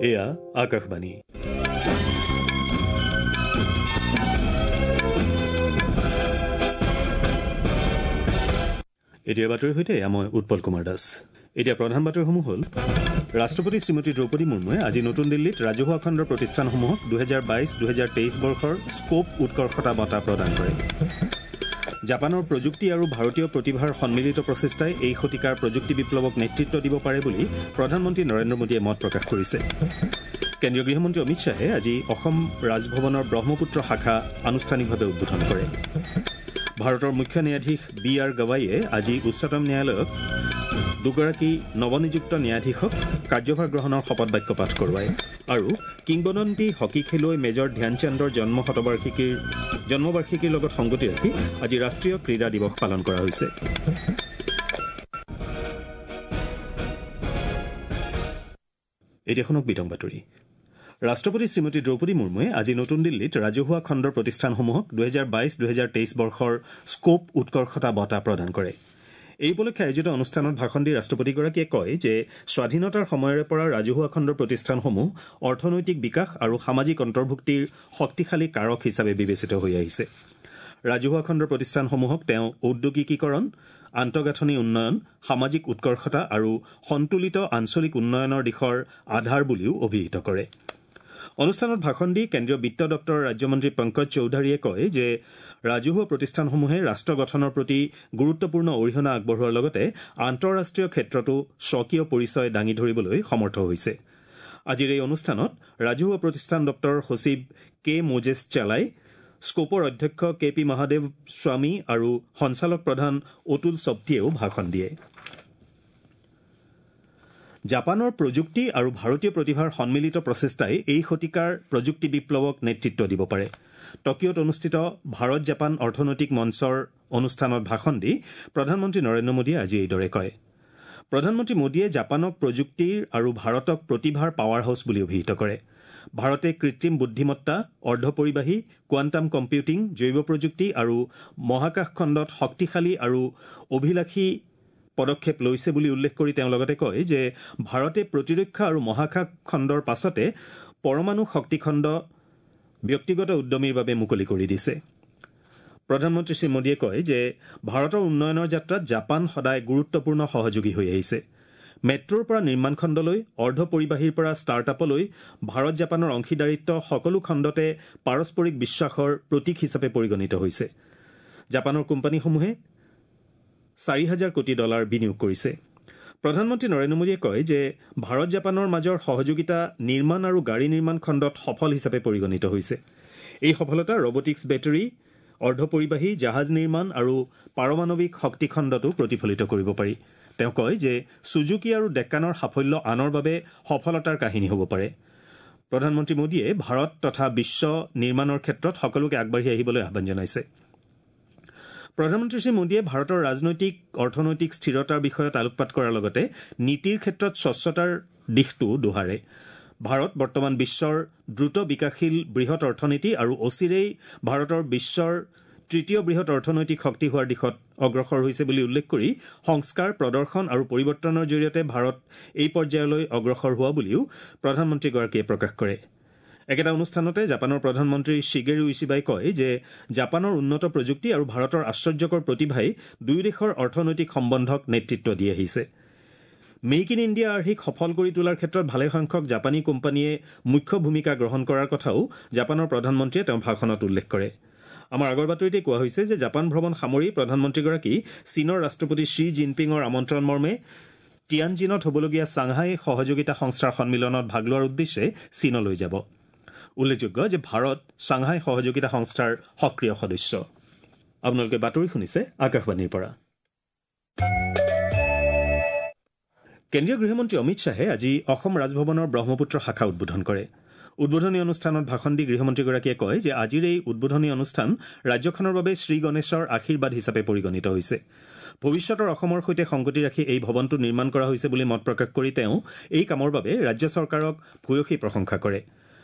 এয়া আকাশবাণী। এতিয়া বাতৰিৰ সৈতে এয়া মই উৎপল কুমাৰ দাস। এতিয়া প্ৰধান বাতৰিসমূহ হ'ল: ৰাষ্ট্ৰপতি শ্ৰীমতী দ্ৰৌপদী মুৰ্মুৱে আজি নতুন দিল্লীত ৰাজহুৱা খণ্ডৰ প্ৰতিষ্ঠানসমূহক 2022-2023 বৰ্ষৰ স্কোপ উৎকৰ্ষতা বঁটা প্ৰদান কৰে। জাপানৰ প্ৰযুক্তি আৰু ভাৰতীয় প্ৰতিভাৰ সন্মিলিত প্ৰচেষ্টাই এই শতিকাৰ প্ৰযুক্তি বিপ্লৱক নেতৃত্ব দিব পাৰে বুলি প্ৰধানমন্ত্ৰী নৰেন্দ্ৰ মোদীয়ে মত প্ৰকাশ কৰিছে। কেন্দ্ৰীয় গৃহমন্ত্ৰী অমিত শ্বাহে আজি অসম ৰাজভৱনৰ ব্ৰহ্মপুত্ৰ শাখা আনুষ্ঠানিকভাৱে উদ্বোধন কৰে। ভাৰতৰ মুখ্য ন্যায়াধীশ বি আৰ গাৱাইয়ে আজি উচ্চতম ন্যায়ালয়ক দুগৰাকী নৱনিযুক্ত ন্যায়াধীশক কাৰ্যভাৰ গ্ৰহণৰ শপত বাক্য পাঠ কৰোৱায়। আৰু কিংবদন্তি হকী খেলুৱৈ মেজৰ ধ্যানচান্দৰ জন্মবাৰ্ষিকীৰ লগত সংগতি ৰাখি আজি ৰাষ্ট্ৰীয় ক্ৰীড়া দিৱস পালন কৰা হৈছে। এতিয়া শুনক বিতং বাতৰি। ৰাষ্ট্ৰপতি শ্ৰীমতী দ্ৰৌপদী মুৰ্মুৱে আজি নতুন দিল্লীত ৰাজহুৱা খণ্ডৰ প্ৰতিষ্ঠানসমূহক 2022-2023 বৰ্ষৰ স্কোপ উৎকৰ্ষতা বঁটা প্ৰদান কৰে। এই উপলক্ষে আয়োজিত অনুষ্ঠানত ভাষণ দি ৰাষ্ট্ৰপতিগৰাকীয়ে কয় যে স্বাধীনতাৰ সময়ৰে পৰা ৰাজহুৱা খণ্ডৰ প্ৰতিষ্ঠানসমূহ অৰ্থনৈতিক বিকাশ আৰু সামাজিক অন্তৰ্ভুক্তিৰ শক্তিশালী কাৰক হিচাপে বিবেচিত হৈ আহিছে। ৰাজহুৱা খণ্ডৰ প্ৰতিষ্ঠানসমূহক তেওঁ ঔদ্যোগিকীকৰণ, আন্তঃগাঁথনি উন্নয়ন, সামাজিক উৎকৰ্ষতা আৰু সন্তুলিত আঞ্চলিক উন্নয়নৰ দিশৰ আধাৰ বুলিও অভিহিত কৰে। অনুষ্ঠানত ভাষণ দি কেন্দ্ৰীয় বিত্ত দপ্তৰৰ ৰাজ্যমন্ত্ৰী পংকজ চৌধাৰীয়ে কয় যে ৰাজহুৱা প্ৰতিষ্ঠানসমূহে ৰাষ্ট্ৰ গঠনৰ প্ৰতি গুৰুত্বপূৰ্ণ অৰিহণা আগবঢ়োৱাৰ লগতে আন্তঃৰাষ্ট্ৰীয় ক্ষেত্ৰতো স্বকীয় পৰিচয় দাঙি ধৰিবলৈ সমৰ্থ হৈছে। আজিৰ এই অনুষ্ঠানত ৰাজহুৱা প্ৰতিষ্ঠান দপ্তৰৰ সচিব কে মোজেছ চালাই, স্কোপৰ অধ্যক্ষ কে পি মহাদেৱ স্বামী আৰু সঞ্চালক প্ৰধান অতুল চপ্তিয়েও ভাষণ দিয়ে। জাপানৰ প্ৰযুক্তি আৰু ভাৰতীয় প্ৰতিভাৰ সন্মিলিত প্ৰচেষ্টাই এই শতিকাৰ প্ৰযুক্তি বিপ্লৱক নেতৃত্ব দিব পাৰে। টকিঅ'ত অনুষ্ঠিত ভাৰত জাপান অৰ্থনৈতিক মঞ্চৰ অনুষ্ঠানত ভাষণ দি প্ৰধানমন্ত্ৰী নৰেন্দ্ৰ মোদীয়ে আজি এইদৰে কয়। প্ৰধানমন্ত্ৰী মোদীয়ে জাপানক প্ৰযুক্তিৰ আৰু ভাৰতক প্ৰতিভাৰ পাৱাৰ হাউচ বুলি অভিহিত কৰে। ভাৰতে কৃত্ৰিম বুদ্ধিমত্তা, অৰ্ধপৰিবাহী, কোৱাণ্টাম কম্পিউটিং, জৈৱ প্ৰযুক্তি আৰু মহাকাশ খণ্ডত শক্তিশালী আৰু অভিলাষী পদক্ষেপ লৈছে বুলি উল্লেখ কৰি তেওঁ লগতে কয় যে ভাৰতে প্ৰতিৰক্ষা আৰু মহাকাশ খণ্ডৰ পাছতে পৰমাণু শক্তিখণ্ড ব্যক্তিগত উদ্যমীৰ বাবে মুকলি কৰি দিছে। প্ৰধানমন্ত্ৰী শ্ৰী মোদীয়ে কয় যে ভাৰতৰ উন্নয়নৰ যাত্ৰাত জাপান সদায় গুৰুত্বপূৰ্ণ সহযোগী হৈ আহিছে। মেট্ৰ'ৰ পৰা নিৰ্মাণ খণ্ডলৈ, অৰ্ধপৰিবাহীৰ পৰা ষ্টাৰ্টআপলৈ ভাৰত জাপানৰ অংশীদাৰিত্ব সকলো খণ্ডতে পাৰস্পৰিক বিশ্বাসৰ প্ৰতীক হিচাপে পৰিগণিত হৈছে। জাপানৰ কোম্পানীসমূহে 4,000 কোটি ডলাৰ বিনিয়োগ কৰিছে। প্ৰধানমন্ত্ৰী নৰেন্দ্ৰ মোদীয়ে কয় যে ভাৰত জাপানৰ মাজৰ সহযোগিতা নিৰ্মাণ আৰু গাড়ী নিৰ্মাণ খণ্ডত সফল হিচাপে পৰিগণিত হৈছে। এই সফলতা ৰবটিক্স, বেটাৰী, অৰ্ধপৰিবাহী, জাহাজ নিৰ্মাণ আৰু পাৰমাণৱিক শক্তি খণ্ডতো প্ৰতিফলিত কৰিব পাৰি। তেওঁ কয় যে চুজুকি আৰু ডেকানৰ সাফল্য আনৰ বাবে সফলতাৰ কাহিনী হ'ব পাৰে। প্ৰধানমন্ত্ৰী মোদীয়ে ভাৰত তথা বিশ্ব নিৰ্মাণৰ ক্ষেত্ৰত সকলোকে আগবাঢ়ি আহিবলৈ আহ্বান জনাইছে। প্ৰধানমন্ত্ৰী শ্ৰী মোদীয়ে ভাৰতৰ ৰাজনৈতিক, অৰ্থনৈতিক স্থিৰতাৰ বিষয়ত আলোকপাত কৰাৰ লগতে নীতিৰ ক্ষেত্ৰত স্বচ্ছতাৰ দিশটোও দোহাৰে। ভাৰত বৰ্তমান বিশ্বৰ দ্ৰুত বিকাশশীল বৃহৎ অৰ্থনীতি আৰু অচিৰেই ভাৰতৰ বিশ্বৰ তৃতীয় বৃহৎ অৰ্থনৈতিক শক্তি হোৱাৰ দিশত অগ্ৰসৰ হৈছে বুলি উল্লেখ কৰি সংস্কাৰ, প্ৰদৰ্শন আৰু পৰিৱৰ্তনৰ জৰিয়তে ভাৰত এই পৰ্যায়লৈ অগ্ৰসৰ হোৱা বুলিও প্ৰধানমন্ত্ৰীগৰাকীয়ে প্ৰকাশ কৰে। একেটা অনুষ্ঠানতে জাপানৰ প্ৰধানমন্ত্ৰী শিগেৰু ইছিবাই কয় যে জাপানৰ উন্নত প্ৰযুক্তি আৰু ভাৰতৰ আশ্চৰ্যকৰ প্ৰতিভাই দুয়ো দেশৰ অৰ্থনৈতিক সম্বন্ধক নেতৃত্ব দি আহিছে। মেক ইন ইণ্ডিয়া আৰ্হিক সফল কৰি তোলাৰ ক্ষেত্ৰত ভালেসংখ্যক জাপানী কোম্পানীয়ে মুখ্য ভূমিকা গ্ৰহণ কৰাৰ কথাও জাপানৰ প্ৰধানমন্ত্ৰীয়ে তেওঁৰ ভাষণত উল্লেখ কৰে। আমাৰ আগৰ বাতৰিতে কোৱা হৈছে যে জাপান ভ্ৰমণ সামৰি প্ৰধানমন্ত্ৰীগৰাকী চীনৰ ৰাষ্ট্ৰপতি শ্বি জিনপিঙৰ আমন্ত্ৰণ মৰ্মে টিয়ানজিনত হ'বলগীয়া ছাংহাই সহযোগিতা সংস্থাৰ সন্মিলনত ভাগ লোৱাৰ উদ্দেশ্যে চীনলৈ যাব। উল্লেখযোগ্য যে ভাৰত ছাংহাই সহযোগিতা সংস্থাৰ সক্ৰিয় সদস্য। আপোনালোকে বাতৰি শুনিছে আকাশবাণীৰ পৰা। কেন্দ্ৰীয় গৃহমন্ত্ৰী অমিত শ্বাহে আজি অসম ৰাজভৱনৰ ব্ৰহ্মপুত্ৰ শাখা উদ্বোধন কৰে। উদ্বোধনী অনুষ্ঠানত ভাষণ দি গৃহমন্ত্ৰীগৰাকীয়ে কয় যে আজিৰ এই উদ্বোধনী অনুষ্ঠান ৰাজ্যখনৰ বাবে শ্ৰীগণেশৰ আশীৰ্বাদ হিচাপে পৰিগণিত হৈছে। ভৱিষ্যতৰ অসমৰ সৈতে সংগতি ৰাখি এই ভৱনটো নিৰ্মাণ কৰা হৈছে বুলি মত প্ৰকাশ কৰি তেওঁ এই কামৰ বাবে ৰাজ্য চৰকাৰক ভূয়সী প্ৰশংসা কৰে।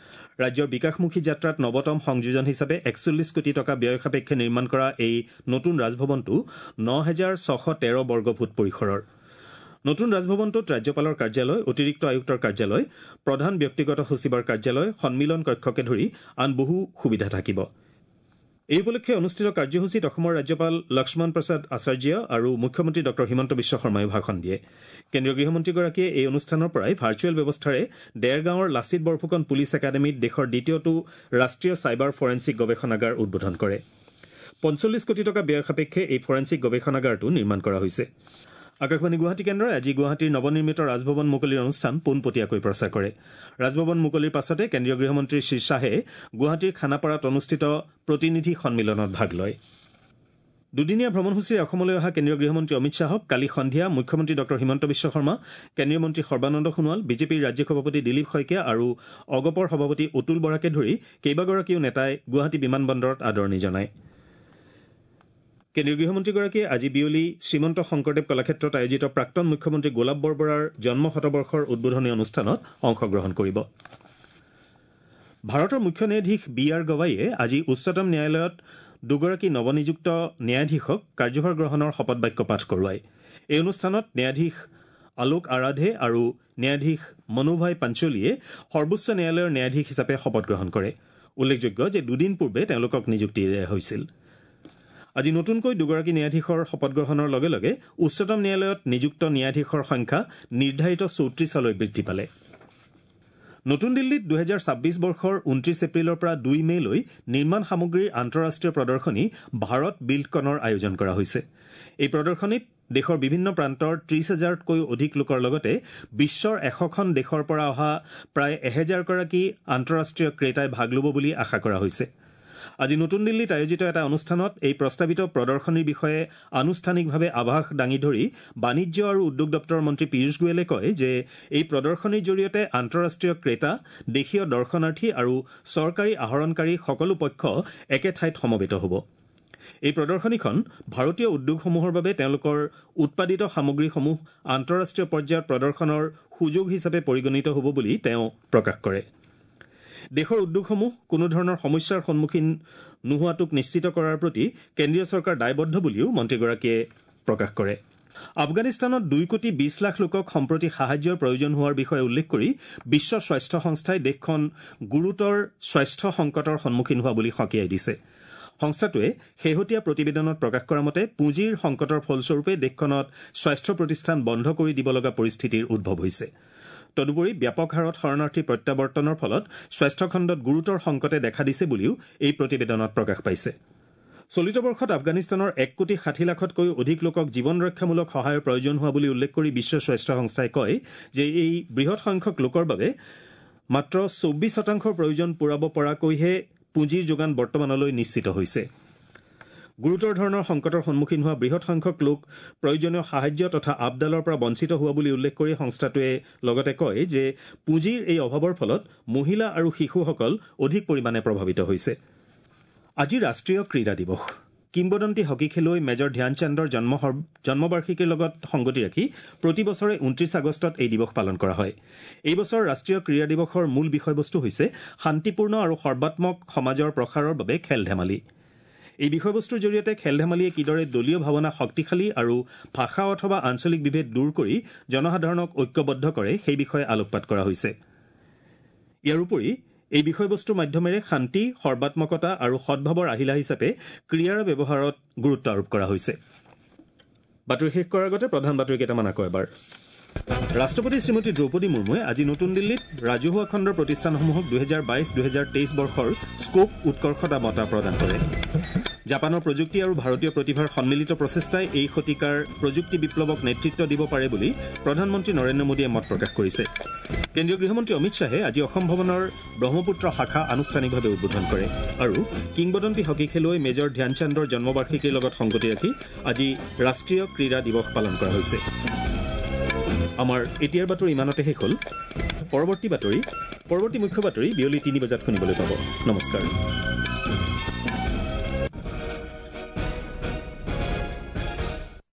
ৰাজ্যৰ বিকাশমুখী যাত্ৰাত নৱতম সংযোজন হিচাপে 41 কোটি টকা ব্যয় সাপেক্ষে নিৰ্মাণ কৰা এই নতুন ৰাজভৱনটো 9,613 বৰ্গফুট পৰিসৰৰ। নতুন ৰাজভৱনটোত ৰাজ্যপালৰ কাৰ্যালয়, অতিৰিক্ত আয়ুক্তৰ কাৰ্যালয়, প্ৰধান ব্যক্তিগত সচিবৰ কাৰ্যালয়, সন্মিলন কক্ষকে ধৰি আন বহু সুবিধা থাকিব। এই উপলক্ষে অনুষ্ঠিত কাৰ্যসূচীত অসমৰ ৰাজ্যপাল লক্ষ্মণ প্ৰসাদ আচাৰ্য আৰু মুখ্যমন্ত্ৰী ডঃ হিমন্ত বিশ্ব শৰ্মায়ো ভাষণ দিয়ে। কেন্দ্ৰীয় গৃহমন্ত্ৰীগৰাকীয়ে এই অনুষ্ঠানৰ পৰাই ভাৰ্চুৱেল ব্যৱস্থাৰে দেৰগাঁৱৰ লাচিত বৰফুকন পুলিচ একাডেমীত দেশৰ দ্বিতীয়টো ৰাষ্ট্ৰীয় চাইবাৰ ফৰেনছিক গৱেষণাগাৰ উদ্বোধন কৰে। 45 কোটি টকা ব্যয় সাপেক্ষে এই ফৰেনছিক গৱেষণাগাৰটো নিৰ্মাণ কৰা হৈছে। আকাশবাণী গুৱাহাটী কেন্দ্ৰই আজি গুৱাহাটীৰ নৱনিৰ্মিত ৰাজভৱন মুকলিৰ অনুষ্ঠান পোনপটীয়াকৈ প্ৰচাৰ কৰে। ৰাজভৱন মুকলিৰ পাছতে কেন্দ্ৰীয় গৃহমন্ত্ৰী শ্ৰী শ্বাহে গুৱাহাটীৰ খানাপাৰাত অনুষ্ঠিত প্ৰতিনিধি সন্মিলনত ভাগ লয়। দুদিনীয়া ভ্ৰমণসূচীৰে অসমলৈ অহা কেন্দ্ৰীয় গৃহমন্ত্ৰী অমিত শ্বাহক কালি সন্ধিয়া মুখ্যমন্ত্ৰী ডঃ হিমন্ত বিশ্ব শৰ্মা, কেন্দ্ৰীয় মন্ত্ৰী সৰ্বানন্দ সোণোৱাল, বিজেপিৰ ৰাজ্যিক সভাপতি দিলীপ শইকীয়া আৰু অগপৰ সভাপতি অতুল বৰাকে ধৰি কেইবাগৰাকীও নেতাই গুৱাহাটী বিমানবন্দৰত আদৰণি জনায়। কেন্দ্ৰীয় গৃহমন্ত্ৰীগৰাকীয়ে আজি বিয়লি শ্ৰীমন্ত শংকৰদেৱ কলাক্ষেত্ৰত আয়োজিত প্ৰাক্তন মুখ্যমন্ত্ৰী গোলাপ বৰবৰাৰ জন্ম শতবৰ্ষৰ উদ্বোধনী অনুষ্ঠানত অংশগ্ৰহণ কৰিব। ভাৰতৰ মুখ্য ন্যায়াধীশ বি আৰ গৱাইয়ে আজি উচ্চতম ন্যায়ালয়ত দুগৰাকী নৱনিযুক্ত ন্যায়াধীশক কাৰ্যভাৰ গ্ৰহণৰ শপতবাক্য পাঠ কৰোৱায়। এই অনুষ্ঠানত ন্যায়াধীশ আলোক আৰাধে আৰু ন্যায়াধীশ মনুভাই পাঞ্চলিয়ে সৰ্বোচ্চ ন্যায়ালয়ৰ ন্যায়াধীশ হিচাপে শপত গ্ৰহণ কৰে। উল্লেখযোগ্য যে দুদিন পূৰ্বে তেওঁলোকক নিযুক্তি দিয়া হৈছিল। আজি নতুনকৈ দুগৰাকী ন্যায়াধীশৰ শপত গ্ৰহণৰ লগে লগে উচ্চতম ন্যায়ালয়ত নিযুক্ত ন্যায়াধীশৰ সংখ্যা নিৰ্ধাৰিত 34লৈ বৃদ্ধি পালে। নতুন দিল্লীত 2026 বৰ্ষৰ 29 এপ্ৰিলৰ পৰা 2 মে'লৈ নিৰ্মাণ সামগ্ৰীৰ আন্তঃৰাষ্ট্ৰীয় প্ৰদৰ্শনী ভাৰত বিল্ডকনৰ আয়োজন কৰা হৈছে। এই প্ৰদৰ্শনীত দেশৰ বিভিন্ন প্ৰান্তৰ 30,000তকৈও অধিক লোকৰ লগতে বিশ্বৰ 100খন দেশৰ পৰা অহা প্ৰায় 1000 গৰাকী আন্তঃৰাষ্ট্ৰীয় ক্ৰেতাই ভাগ ল'ব বুলি আশা কৰা হৈছে। আজি নতুন দিল্লীত আয়োজিত এটা অনুষ্ঠানত এই প্ৰস্তাৱিত প্ৰদৰ্শনীৰ বিষয়ে আনুষ্ঠানিকভাৱে আভাস দাঙি ধৰি বাণিজ্য আৰু উদ্যোগ দপ্তৰৰ মন্ত্ৰী পীয়ূষ গোৱেলে কয় যে এই প্ৰদৰ্শনীৰ জৰিয়তে আন্তঃৰাষ্ট্ৰীয় ক্ৰেতা, দেশীয় দৰ্শনাৰ্থী আৰু চৰকাৰী আহৰণকাৰী সকলো পক্ষ একে ঠাইত সমবেত হ'ব। এই প্ৰদৰ্শনীখন ভাৰতীয় উদ্যোগসমূহৰ বাবে তেওঁলোকৰ উৎপাদিত সামগ্ৰীসমূহ আন্তঃৰাষ্ট্ৰীয় পৰ্যায়ত প্ৰদৰ্শনৰ সুযোগ হিচাপে পৰিগণিত হ'ব বুলি তেওঁ প্ৰকাশ কৰে। দেশৰ উদ্যোগসমূহ কোনো ধৰণৰ সমস্যাৰ সন্মুখীন নোহোৱাটোক নিশ্চিত কৰাৰ প্ৰতি কেন্দ্ৰীয় চৰকাৰ দায়বদ্ধ বুলিও মন্ত্ৰীগৰাকীয়ে প্ৰকাশ কৰে। আফগানিস্তানত 2 কোটি 20 লাখ লোকক সম্প্ৰতি সাহায্যৰ প্ৰয়োজন হোৱাৰ বিষয়ে উল্লেখ কৰি বিশ্ব স্বাস্থ্য সংস্থাই দেশখন গুৰুতৰ স্বাস্থ্য সংকটৰ সন্মুখীন হোৱা বুলি সকীয়াই দিছে। সংস্থাটোৱে শেহতীয়া প্ৰতিবেদনত প্ৰকাশ কৰা মতে পুঁজিৰ সংকটৰ ফলস্বৰূপে দেশখনত স্বাস্থ্য প্ৰতিষ্ঠান বন্ধ কৰি দিব লগা পৰিস্থিতিৰ উদ্ভৱ হৈছে। তদুপৰি ব্যাপক হাৰত শৰণাৰ্থী প্ৰত্যাৱৰ্তনৰ ফলত স্বাস্থ্যখণ্ডত গুৰুতৰ সংকটে দেখা দিছে বুলিও এই প্ৰতিবেদনত প্ৰকাশ পাইছে। চলিত বৰ্ষত আফগানিস্তানৰ 1 কোটি 60 লাখতকৈও অধিক লোকক জীৱন ৰক্ষামূলক সহায়ৰ প্ৰয়োজন হোৱা বুলি উল্লেখ কৰি বিশ্ব স্বাস্থ্য সংস্থাই কয় যে এই বৃহৎ সংখ্যক লোকৰ বাবে মাত্ৰ 24% প্ৰয়োজন পূৰাব পৰাকৈহে পুঁজিৰ যোগান বৰ্তমানলৈ নিশ্চিত হৈছে। গুৰুতৰ ধৰণৰ সংকটৰ সন্মুখীন হোৱা বৃহৎ সংখ্যক লোক প্ৰয়োজনীয় সাহায্য তথা আপডালৰ পৰা বঞ্চিত হোৱা বুলি উল্লেখ কৰি সংস্থাটোৱে লগতে কয় যে পুঁজিৰ এই অভাৱৰ ফলত মহিলা আৰু শিশুসকল অধিক পৰিমাণে প্ৰভাৱিত হৈছে। আজি ৰাষ্ট্ৰীয় ক্ৰীড়া দিৱস। কিংবদন্তি হকী খেলুৱৈ মেজৰ ধ্যানচান্দৰ জন্মবাৰ্ষিকীৰ লগত সংগতি ৰাখি প্ৰতি বছৰে 29 আগষ্টত এই দিৱস পালন কৰা হয়। এই বছৰ ৰাষ্ট্ৰীয় ক্ৰীড়া দিৱসৰ মূল বিষয়বস্তু হৈছে শান্তিপূৰ্ণ আৰু সৰ্বাত্মক সমাজৰ প্ৰসাৰৰ বাবে খেল ধেমালি। এই বিষয়বস্তুৰ জৰিয়তে খেল ধেমালিয়ে কিদৰে দলীয় ভাৱনা শক্তিশালী আৰু ভাষা অথবা আঞ্চলিক বিভেদ দূৰ কৰি জনসাধাৰণক ঐক্যবদ্ধ কৰে সেই বিষয়ে আলোকপাত কৰা হৈছে। ইয়াৰ উপৰি এই বিষয়বস্তুৰ মাধ্যমেৰে শান্তি, সৰ্বাত্মকতা আৰু সদ্ভাৱৰ আহিলা হিচাপে ক্ৰীড়াৰ ব্যৱহাৰত গুৰুত্ব আৰোপ কৰা হৈছে। বাতৰি শেষ কৰাৰ আগতে প্ৰধান বাতৰি কেইটামান আকৌ এবাৰ। ৰাষ্ট্ৰপতি শ্ৰীমতী দ্ৰৌপদী মুৰ্মুৱে আজি নতুন দিল্লীত ৰাজহুৱা খণ্ডৰ প্ৰতিষ্ঠানসমূহক 2022-2023 বৰ্ষৰ স্কোপ উৎকৰ্ষতা বঁটা প্ৰদান কৰে। জাপানৰ প্ৰযুক্তি আৰু ভাৰতীয় প্ৰতিভাৰ সন্মিলিত প্ৰচেষ্টাই এই শতিকাৰ প্ৰযুক্তি বিপ্লৱক নেতৃত্ব দিব পাৰে বুলি প্ৰধানমন্ত্ৰী নৰেন্দ্ৰ মোদীয়ে মত প্ৰকাশ কৰিছে। কেন্দ্ৰীয় গৃহমন্ত্ৰী অমিত শ্বাহে আজি অসম ভৱনৰ ব্ৰহ্মপুত্ৰ শাখা আনুষ্ঠানিকভাৱে উদ্বোধন কৰে। আৰু কিংবদন্তি হকী খেলুৱৈ মেজৰ ধ্যানচান্দৰ জন্মবাৰ্ষিকীৰ লগত সংগতি ৰাখি আজি ৰাষ্ট্ৰীয় ক্ৰীড়া দিৱস পালন কৰা হৈছে। আমাৰ এতিয়াৰ বাতৰি ইমানতে শেষ হ'ল। পৰৱৰ্তী মুখ্য বাতৰি বিয়লি 3 বজাত শুনিবলৈ পাব। নমস্কাৰ।